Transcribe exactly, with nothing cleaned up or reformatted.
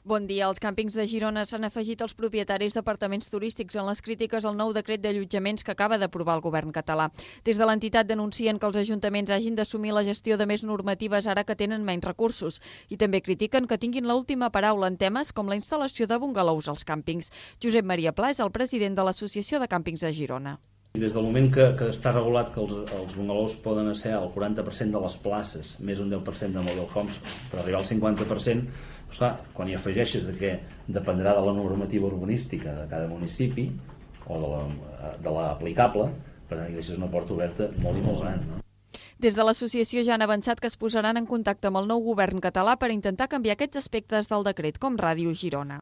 Bon dia. Els càmpings de Girona s'han afegit als propietaris d'apartaments turístics en les crítiques al nou decret d'allotjaments que acaba d'aprovar el govern català. Des de l'entitat denuncien que els ajuntaments hagin d'assumir la gestió de més normatives ara que tenen menys recursos i també critiquen que tinguin l'última paraula en temes com la instal·lació de bungalous als càmpings. Josep Maria Pla és el president de l'Associació de Càmpings de Girona. I des del moment que, que està regulat que els, els bungalous poden ser el quaranta per cent de les places, més un deu per cent de mobile homes, per arribar al cinquanta per cent, doncs clar, quan hi afegeixes de que dependrà de la normativa urbanística de cada municipi o de la, de la aplicable, per tant, hi deixes una porta oberta molt i molt gran, no? Des de l'associació ja han avançat que es posaran en contacte amb el nou govern català per intentar canviar aquests aspectes del decret, com Ràdio Girona.